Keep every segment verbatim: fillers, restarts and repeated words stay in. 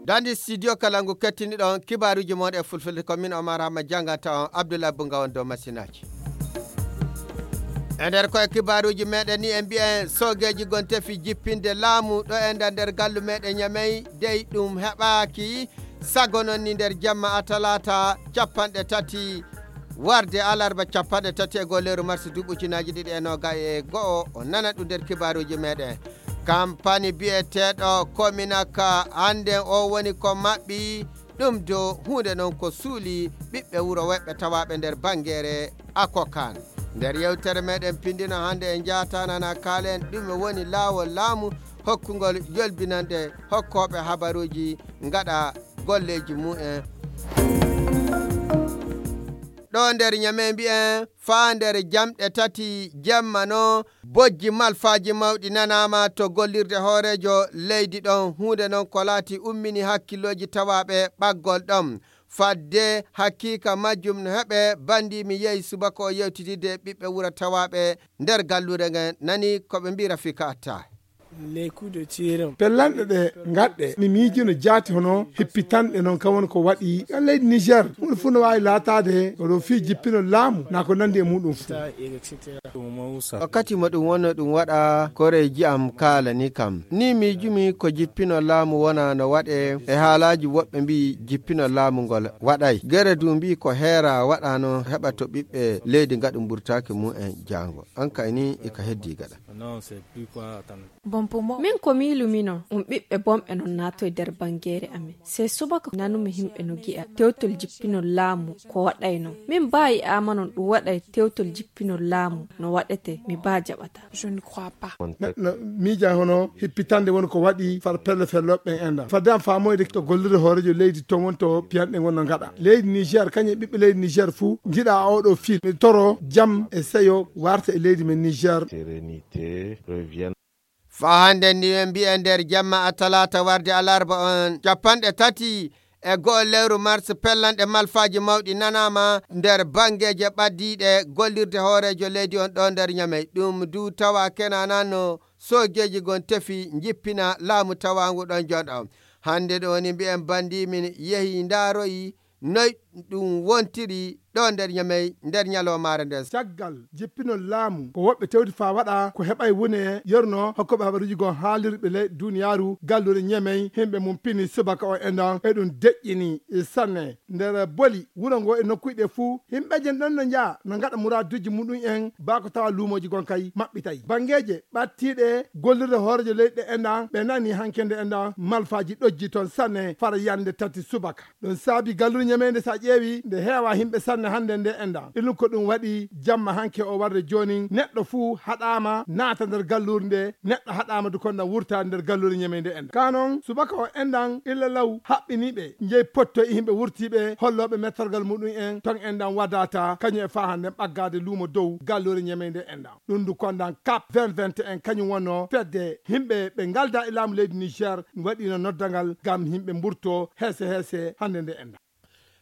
Dandi studio kala ngu kettiniɗon kibaaruuji mon e fulfulde, ko min Omar Hamma jannganta on, Abdoulaye Bunga on dow masinaaji. E nder koye kibaaruuji meɗen ni, en mbiyen soogeeji gon tefi jippinde laamu ɗo e nder, nder gallu meɗen Ñamey, dey ɗum heɓaaki. Sago noon ni nder jamma a talaata capanɗe tati warde alarba capanɗe tati e goo lewru mars duuɓi ujunaaji ɗiɗi e noogaas e go'o, o nana ɗum nder kibaaruuji meɗen. Kampani biyeteeɗo Kominaka hannden o woni ko maɓɓi, ɗum do huunde noon ko suuli ɓiɓɓe wuro woɓɓe tawaaɓe nder Bangeere Akokan. Nder yewtere meɗen pindino hannde en njaata nana kaalen ɗum woni laawol laamu hokkugol yolbinande hokkooɓe habaruuji ngaɗa golleeji mumen. Ɗo nder Ñamey mbiyen faa nder jamɗe tati jemma no bojji malfaaji mawɗi nanaama to gollirde hooreejo leydi ɗon. Huunde noon ko laati ummini hakkillooji tawaaɓe ɓaggol ɗon. Fadde hakiika majjum no heɓe, banndi mi yehi subaka o yewtididde e ɓiɓɓe wuro tawaaɓe nder galluure ngen, nani ko ɓe mbiyi Rafika Atta. Pellanɗe ɗe ngaɗɗe, mi miijino jaati hono hippitanɗe noon, kam woni ko waɗi ka leydi Niger. Huunde fof no waawi laataade ko ɗo fii jippino laamu, naa ko nanndi e muɗum fof. Wakkati mo ɗum wonno ɗum waɗa, koreeji am kaalani kam. Ni miijumi ko jippino laamu wona no waɗe, e haalaaji woɓɓe mbiyi jippino laamu ngol waɗay. Gere du mbiyi ko heera waɗano heɓa to ɓiɓɓe leydi ngaɗu mburtaaki mumen jaango. An kay ni e ka heddi gaɗa. Min ko miilumino, ɗum ɓiɓɓe bonɓe non naatoy nder Bangeere amen. Sey subaka nanumi yimɓe no gi'a tewtol jippinol laamu ko waɗayno. Min baa yi'aama non ɗum waɗay tewtol jippinol laamu no waɗete, mi baa jaɓata. Neɗɗo miija hono hippitande woni ko waɗi far pelle fellooɓe ɓen enɗan. Fadde am faamoyde to gollirde hooreejo leydi ton woni to piyanɗe ngon no ngaɗa. Leydi Niger, kañum e ɓiɓɓe leydi Niger fuu, njiɗa oɗo fil. Mi toro jam e seyo warta e leydi men Niger. Faa hannde ni en mbiya nder jamma a talaata warde alarba on capanɗe tati e go'o lewru mars, pellanɗe malfaaji mawɗi nanaama nder banngeeje ɓaddiiɗe gollirde hooreejo leydi on ɗo nder Ñamey. Ɗum du tawa kenanano soojeeji gon tefi njippina laamu tawaangu ɗon jonɗo. Hannde ɗo ni mbiyen banndi min yehi ndaaroyi noy ɗum wontiri ɗo nder Ñamey nder ñalawmaare nden. Caggal jippinol laamu, ko woɓɓe tewti faa waɗa ko heɓay wune yorno hokkooɓe habaruuji goo haalirɓe ley duniyaaru galluure Ñamey, himɓe mum pini subaka o enɗan, e ɗum deƴƴini sanne. Nder boli wuro ngo e nokkuuji ɗe fuu, himɓeeje ɗon no njaha no ngaɗa muraaduuji muɗum en, baa ko tawa luumooji gon kay maɓɓitay. Banngeeje ɓattiiɗe gollirde hooreejo leydi ɗe enɗan, ɓe nani hankende enɗan malfaaji ɗojji ton sanne fara yande tati subaka. Ɗum saabi galluure Ñamey nde, so a ƴeewi, nde heewa himɓe sanne hannde nde enɗan. Ɗum ko ɗum waɗi jamma hanke o warde joonin, neɗɗo fuu haɗaama naata nder galluure nde, neɗɗo haɗaama du kon na wurtaade nder galluure Ñamey nde enɗan. Kaa noon, subaka o enɗan illa law haɓɓiniiɓe, njeyi pottoy e himɓe wurtiiɓe, hollooɓe mettorgal muɗum en, ton enɗan wadata, kañum e faa hannde ɓaggaade luumo dow galluure Ñamey nde enɗan. Ɗum du kondan kap vingt vingt et un kañum wonno fedde himɓe ɓe ngalda e laamu leydi Niger waɗino noddangal ngam himɓe mburto heese heese hannde nde enɗan.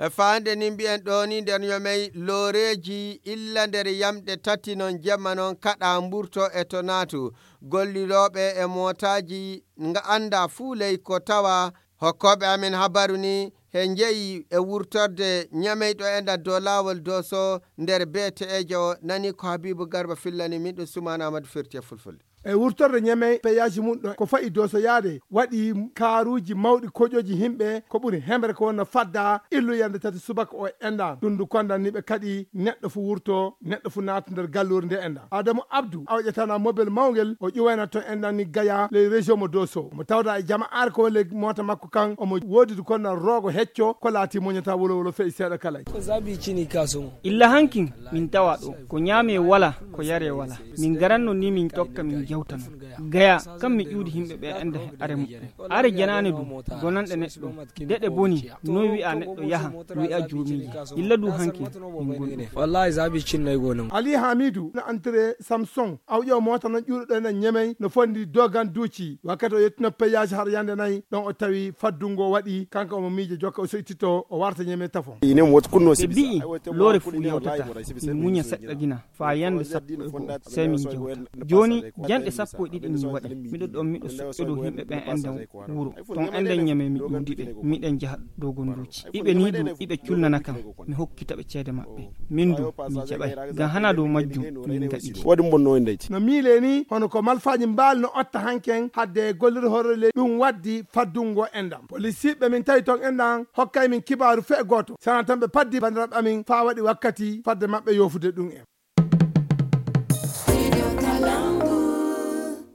E faande ni mbiyen ɗo ni nder Ñamey looreeji illa nder yamɗe tati non jemma non kaɗa mburto e to naatu. Gollirooɓe e mootaaji nga annda fuu ley ko tawa hokkooɓe amen habaru ni he njeyi e wurtorde Ñamey ɗo enɗan dow laawol Dooso nder beeteejo o. Nani ko Habiibu Garba fillani min ɗum, Sumaana Amadu firti e fulfulde. E wurtorde Ñamey peyaasi mum ɗo ko fayi Dooso yaade waɗi kaaruuji mawɗi koƴooji himɓe ko ɓuri hemre ko wonno fadda illu yande tati subaka o enɗan. Ɗum du kondan ni ɓe kaɗi neɗɗo fu wurto, neɗɗo fu naata nder galluure nde enɗan. Adamu Abdu awƴatana mobel mawngel o ƴuwayna ton enɗan ni Gaya ley région mo Dooso. Mo tawda e jama'aare ko woni ley moota makko kan omo woodi du kondan roogo hecco ko laati muñata wolo wolo fe'i seeɗa kala. Ko zabi cini kaso mo. Illa hankin min tawa ɗo ko ñaame wala ko yare wala. Min garanno ni min tokka min jawtano. Gaya kam mi ƴuudi himɓe ɓe enda he are muɓɓe. Are janaane du gonanɗe neɗɗo. Deɗe boni noy wi'a neɗɗo yaha wi'a joomiiji. Illa du hankin min gonɗo. Wallahi zabi cinnoy gonon. Ali Hamidu na antre Samson awƴo moota non ƴuuɗo ɗo ena Ñamey no fondi dogan duuci wakkati o yettino peyaasi har yande nayi ɗon o tawi faddungo waɗi kanko omo miijo jokka o soytito o warta Ñamey tafo. Ɓe mbi'i loore fuu yawtata, min muña seɗɗa gina, faa yande sappo e go'o, sey min jawta. Jooni, janɗe sappo e ɗiɗi Mi waɗi. Miɗo ɗon, miɗo soƴƴo dow yimɓe ɓen enɗan wuro. Ton enɗan ñame mi ƴuundi ɓe. Miɗen jaha dow gonduuji. Iɓe nii du, iɓe culnana kan. Mi hokkita ɓe ceede maɓɓe. Min du, mi jaɓay. Ngam hana dow majjum, min ngaɗi. Waɗi mbonno en dayti. No miile ni, hono ko malfaaji mbaali no otta hanken hadde e gollirde hoore leydi, ɗum waddi faddungo enɗan. Polisiiɓe min tawi ton enɗan hokkay min kibaaru fee gooto. Sana tan ɓe paddi banndiraaɓe amin faa waɗi wakkati fadde maɓɓe yoofude ɗum en.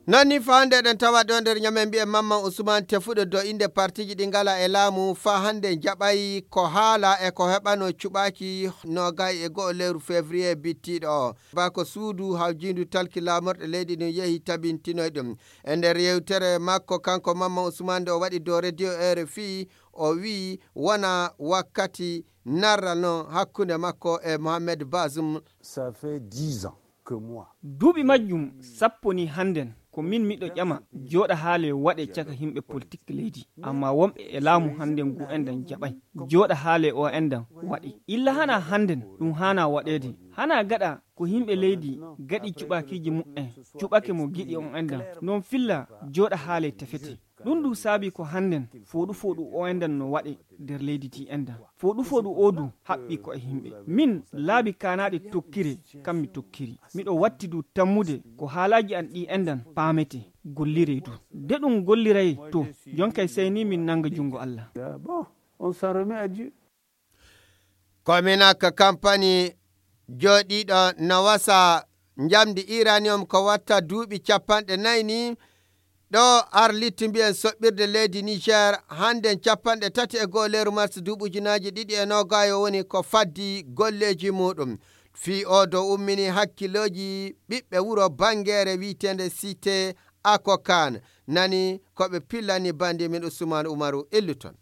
Non ni faa hannde eɗen tawa ɗo nder ñamen mbi'en Mamman Usman tefuɗo do innde partiiji ɗi ngala e laamu faa hannde jaɓay ko haala e ko heɓano cuɓaaki noogay e go'o lewru février bittiiɗo o. Baa ko suudu hawjiindu talki laamorɗe leydi ndin yehi tabintinoy ɗum. E nder yewtere makko kanko Mamman Usman nde o waɗi dow radio R F I, o wi'i wona wakkati narral non hakkunde makko e Mohamed Bazoum. Ça fait dix ans que moi. Duuɓi majjum sappo ni hannden ko min miɗo ƴama jooɗa haale waɗe caka yimɓe politik leydi. Amma wonɓe e laamu hannden ngu enɗan jaɓay. Jooɗa haale o enɗan waɗi. Illa hana hannden ɗum hana waɗeede. Hana gaɗa ko yimɓe leydi gaɗi cuɓaakiiji muɓɓen. Cuɓake mo giɗi on enɗan. Non filla jooɗa haale tefete. Ɗum ɗum saabi ko hannden fooɗu fooɗu o enɗan no waɗe nder leydi ndi enɗan. Fooɗu fooɗu o du haɓɓi ko e yimɓe. Min laabi kaanaaɗi tokkire kam mi tokkiri. Miɗo watti du tammude ko haalaaji an ɗi enɗan paamete, gollire du. De ɗum golliray to, jonkay sey ni min nannga junngo Allah. Bon, on s'en remet à Dieu. Kominak kampani jooɗiiɗo no wasa njamndi iranium ko watta duuɓi capanɗe nayi ni. Ɗo Arlit mbiyen soɓɓirde leydi Niger hannden capanɗe tati e go'o lewru mars duuɓi ujunaaji ɗiɗi e noogaayo woni ko faddi golleeji muuɗum. Fii o do ummini hakkilooji ɓiɓɓe wuro Bangeere wi'eteende Cité Akokan. Nani ko ɓe pillani bandi min Usman Umaru Illuton.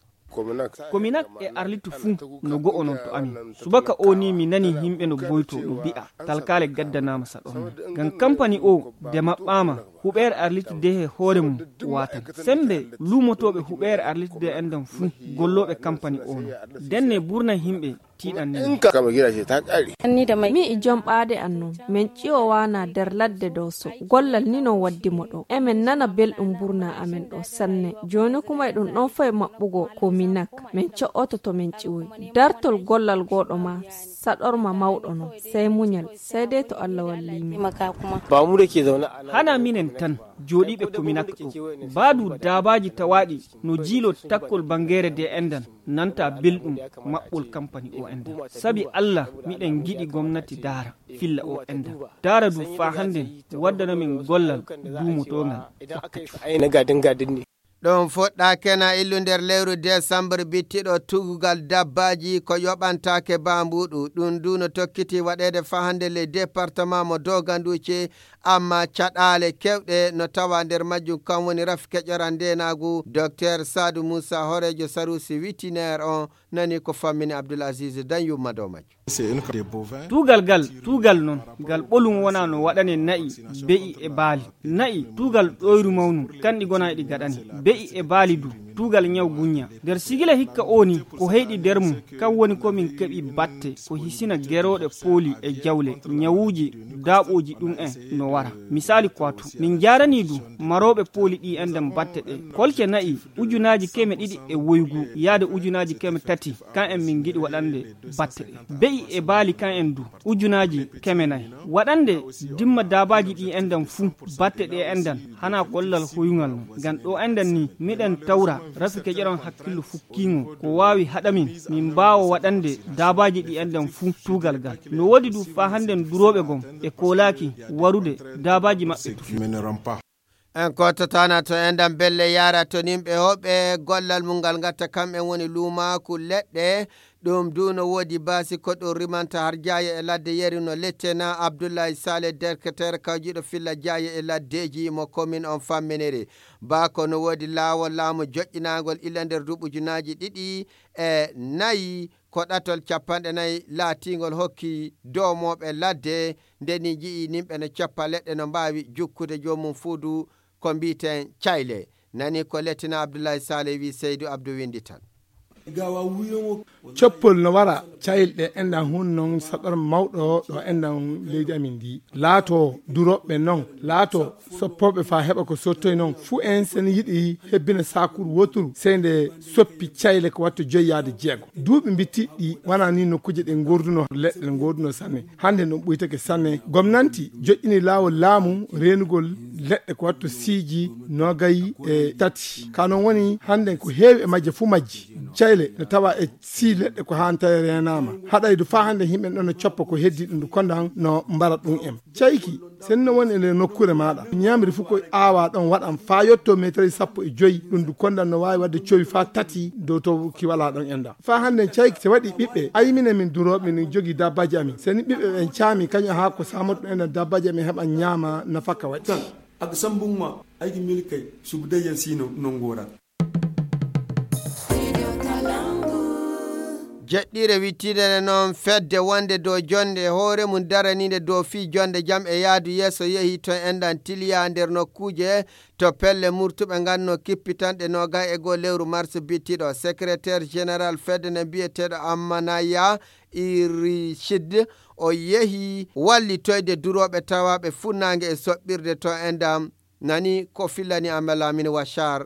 Kominak e Arlitu fuu no go'o non to amin. Subaka o ni mi nani yimɓe no boyto no bi'a talkaale gaddanaama saɗorma. Ngam kampani o de maɓɓaama huɓeere Arlitu de he hoore mum waatan. Sembe luumotooɓe huɓeere Arlitu de enɗan fuu gollooɓe kampani o non. Denne burna yimɓe tiiɗan ni. Mi e jom ɓaade an non. Min ƴiwowaana nder ladde dow so. Gollal ni non waddi mo ɗo. Emin nana belɗum burna amin ɗo sanne. Jooni kuma e ɗum ɗon foy maɓɓugo Kominak. Min co'oto to min ƴiwoy. Dartol gollal gooɗo ma saɗorma mawɗo non. Sey muñal. Sey dey to Allah walli min. Hana minen tan jooɗiiɓe Kominak ɗo. Baadu daabaaji tawaaɗi no jiilo takkol Bangeere de enɗan nanta belɗum maɓɓol kampani o enɗan. Sabi Allah miɗen giɗi gomnati daara filla o enɗan. Daara du faa hannden waddana min gollal duumotoongal wakkati. Ɗum fuɗɗaake na illu nder lewru desambar bittiɗo tugugal dabbaaji ko yoɓantaake baambuɗu. Ɗum du no tokkiti waɗeede faa hannde ley departement mo Doganduce, amma caɗaale kewɗe no tawa nder majjum kam woni rafi keƴoral ndeenaagu. Doktor Saadu Muusa hooreejo saruusi witinaire on nani ko fammini Abdul Aziz Danyumma dow majjum. Tuugal gal tuugal non ngal ɓolum wona no waɗane na'i, be'i e baali. Na'i tuugal ɗoyru mawnum kanɗi gona eɗi gaɗane. Be'i e baali du tuugal ñaw guñña. Nder sigila hikka o ni ko heyɗi nder mum kam woni ko min keɓi batte ko hisina gerooɗe pooli e jawle ñawuuji daaɓooji ɗum en no wara. Misaali ko watu min njaaranii du marooɓe pooli ɗi enɗan batte ɗe kolke na'i ujunaaji keme ɗiɗi e woygu yaade ujunaaji keme tati kan en min ngiɗi waɗande batte ɗe. Be'i e baali kan en du ujunaaji keme nayi waɗande dimma daabaaji ɗi enɗan fuu. Batte ɗe enɗan hana gollal hoyungal non ngam ɗo enɗan ni miɗen tawra rafi keƴeron hakkillo fukkiingo ko waawi haɗa min min mbaawa waɗande daabaaji ɗi enɗan fuu tuugal gal. No woodi du faa hannden durooɓe gom e koolaaki warude daabaaji maɓɓe tufi. En kootataana to enɗan belle yaara to nimɓe hoɓe gollal mum ngal ngatta kam en woni luumaaku leɗɗe. Ɗum du no woodi baasi ko ɗum rimanta har jaaye e ladde yeri no lettena Abdullahi Saleh derketeer kawjiiɗo filla jaaye e laddeeji mo komin on famminiri. Baa ko no woodi laawol laamu joƴƴinaangol ila nder duuɓi ujunaaji ɗiɗi e nayi ko ɗatol capanɗe nayi laatiingol hokki doomooɓe ladde nde ni nji'i nimɓe no coppa leɗɗe no mbaawi jukkude joomum fuu du ko mbiiten cayle. Nani ko lettina Abdullahi Saleh wi Seydu Abdu winndi tan. Coppol no wara cayilɗe enɗan hun non saɗor mawɗo ɗo enɗan leydi amin ndi. Laato durooɓe non, laato soppooɓe faa heɓa ko sottoy non. Fuu en sen yiɗi hebbina saakuru wooturu, sey nde soppi cayle ko watto joyi yaade jeego. Duuɓi mbittiɗi wona ni nokkuje ɗe ngorduno leɗɗe, ngorduno sanne. Hannde ɗum ɓuytake sanne. Gomnanti joƴƴini laawol laamu reenugol leɗɗe ko watto siiji noogay e tati. Ka non woni hannden ko heewi e majje fuu majji. Cayle no tawa e sii leɗɗe ko haan tawi reenaama. Haɗaydu faa hannde yimɓe ɗon no coppa ko heddi ɗum ndu kondan no mbara ɗum en. Cayki, sen no woni e nder nokkuure maaɗa. Ñaamri fuu ko aawaa ɗon waɗan faa yotto meetari sappo e joyi. Ɗum ndu kondan no waawi waɗde cowi faa tati dow to ki walaa ɗon enda. Faa hannden cayki se waɗi ɓiɓɓe, ay minen min durooɓe min jogii dabbaaji amin. Sen ɓiɓɓe ɓen caami kañum haa ko saamoto ɗum enda dabbaaji amin heɓa ñaama nafaka waɗi. Tan, ak sambunma, aygi milkay, subdayyan sino nongora. Jeɗɗire wittinere noon fedde wonde dow jonde e hoore mum daraniinde dow fii jonde jam e yaadu yeeso yehi to enɗan tiliya nder nokkuuje to pelle murtuɓe nganno kippitanɗe noogay e goo lewru mars bittiɗo. Secrétaire général fedde nde mbiyeteeɗo Ammanaya Irichid o yehi wallitoyde durooɓe tawaaɓe funnaange e soɓɓirde to enɗan. Nani ko fillani Amal Amin Washar.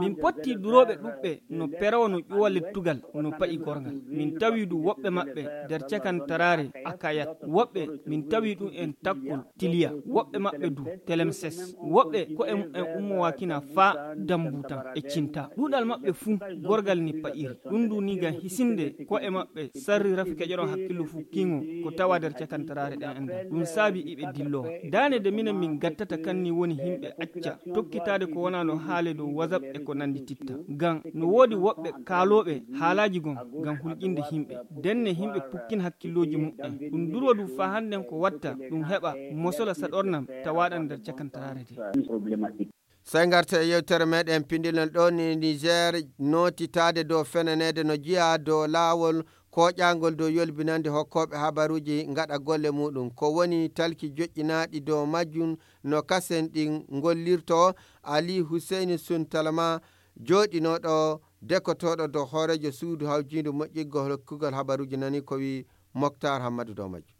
Min potti durooɓe ɗuɓɓe no perowo no ƴuwa lettugal no pa'i gorgal. Min tawi du woɓɓe maɓɓe nder cakantaraare Akayat. Woɓɓe min tawi ɗum en takkol Tiliya. Woɓɓe maɓɓe du Telemses. Woɓɓe ko e mumen ummowaakina faa dambutan e cinta. Ɗuuɗal maɓɓe fuu gorgal ni pa'iri. Ɗum du ni ngam hisinde ko e maɓɓe sarri rafi keƴoron hakkillu fuu kiŋo ko tawa nder cakantaraare ɗen enɗan. Ɗum saabi iɓe dillo. Daane de minen min gattata kanni woni himɓe acca tokkitaade ko wonaa no haale dow WhatsApp e ko nandi titta. Ngam no woodi woɓɓe kaalooɓe haalaaji gon ngam hulƴinde himɓe. Denne himɓe pukkin hakkillooji muɓɓen. Ɗum durwa du faa hannden ko watta ɗum heɓa mosola saɗornam tawaaɗan nder cakantaraare de. Sey ngarta e yewtere meɗen pindilon ɗo ni Niger nootitaade dow fenaneede no jiyaa dow laawol kooƴaangol dow yolbinande hokkooɓe habaruuji ngaɗa golle muɗum. Ko woni talki joƴƴinaaɗi dow majjum no kasen ɗin ngollirto. Ali Huseyni Suntalama jooɗinooɗo dekotooɗo dow hooreejo suudu hawjiindu moƴƴiggol hokkugol habaruuji nani ko wi Moktar Hammadu dow majjum.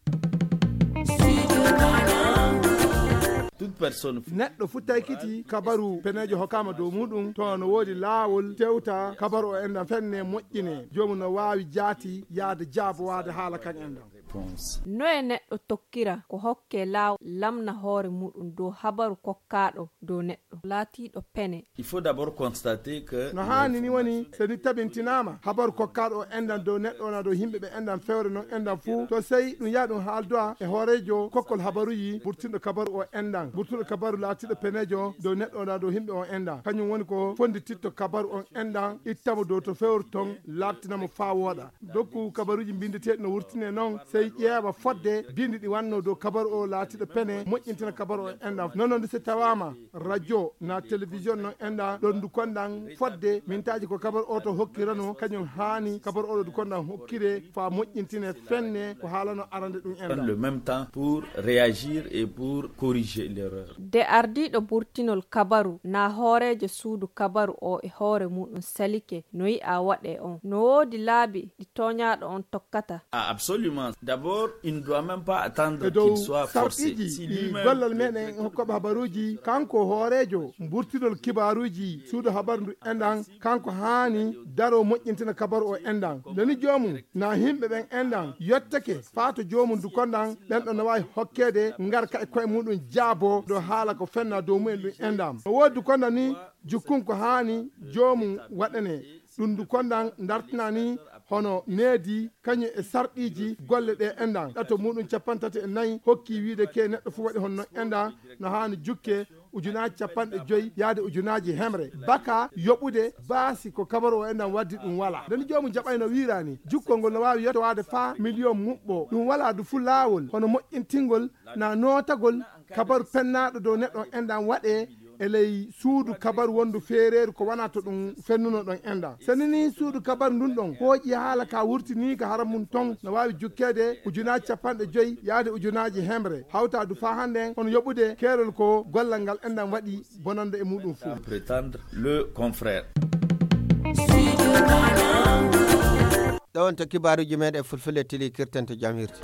Neɗɗo fu taykiti kabaru peneejo hokkaama dow muɗum, to no woodi laawol tewta kabaru o enɗan fenne moƴƴine, joomum no waawi jaati yaade jaabowaade haala kan enɗan. Noye neɗɗo tokkira ko hokke laawol lamna hoore muɗum dow habaru kokkaaɗo dow neɗɗo laatiiɗo pene? Il faut d'abord constater que no haani ni woni, so ni tabintinaama habaru kokkaaɗo o enɗan dow neɗɗo wona dow yimɓe ɓe enɗan fewre non enɗan fuu, to sey ɗum yaha ɗum haaldowa e hooreejo kokkol habaruji burtinɗo kabaru o enɗan, burtinɗo kabaru laatiiɗo peneejo dow neɗɗo wona dow yimɓe o enɗan. Kañum woni ko fonndititto kabaru on enɗan, ittamo dow to fewre ton, laaɓtinamo faa wooɗa. Dokku kabaruuji mbinndeteeɗi no wurtine noon, sey ƴeewa fodde binndi ɗi wannoo dow kabaru o laatiiɗo pene, moƴƴintina kabaru o enɗan. Non noon de, so tawaama radio na télévision noon enɗan, ɗon ndu konɗan fodde mintaaji ko kabaru o to hokkirano, kañum haani kabaru o ɗo ndu konɗan hokkire faa moƴƴintine fenne ko haalano arande ɗum enɗan. Le même temps pour réagir et pour corriger l'erreur. De ardiiɗo burtinol kabaru na hooreejo suudu kabaru o e hoore muɗum salike no yi'a waɗe on. No woodi laabi ɗi tooñaaɗo on tokkata. Ah, absolument. D'abord, il ne doit même pas attendre qu'il soit forcé. E dow sarɗiiji ɗi gollal meɗen hokkooɓe habaruuji, kanko hooreejo burtinol kibaaruuji suudu habaru ndu enɗan, kanko haani daro moƴƴintina kabaru o enɗan. Nde ni joomum na yimɓe ɓen enɗan yottake faa to joomum du konɗan, ɓen ɗon no waawi hokkeede ngarka e koye muɗum jaabo dow haala ko fenna dow mumen ɗum enɗan. No woodi du konɗan ni jukkun ko haani joomum waɗane. Ɗum du konɗan dartina ni hono needi kañum e sarɗiiji golle ɗe enɗan. Ɗato muɗum cappanɗe tati e nayi hokki wiide ke neɗɗo fuu waɗi hono non enɗan no haani jukke ujunaaji cappanɗe joyi yaade ujunaaji hemre. Baka yoɓude baasi ko kabaru o enɗan waddi ɗum walaa. Nde ni joomum jaɓayno wiiraani, jukkol ngol no waawi yettowaade faa miliyon muɓɓo. Ɗum walaa du fuu laawol hono moƴƴintingol na nootagol kabaru pennaaɗo dow neɗɗo on enɗan waɗee e ley suudu kabaru wondu feereeru ko wanaa to ɗum fennuno ɗon enɗan. Seni ni suudu kabaru ndun ɗon hooƴi haala ka wurtiniika hara mum ton no waawi jukkeede ujunaaji cappanɗe joyi yaade ujunaaji hemre. Hawtaadu faa hannden hono yoɓude keerol ko gollal ngal enɗan waɗi bonande e muɗum fuu. Prétendre le confrère. Ɗo wonto kibaaruuji meeɗen fulfulde tili kirtante jam hirti.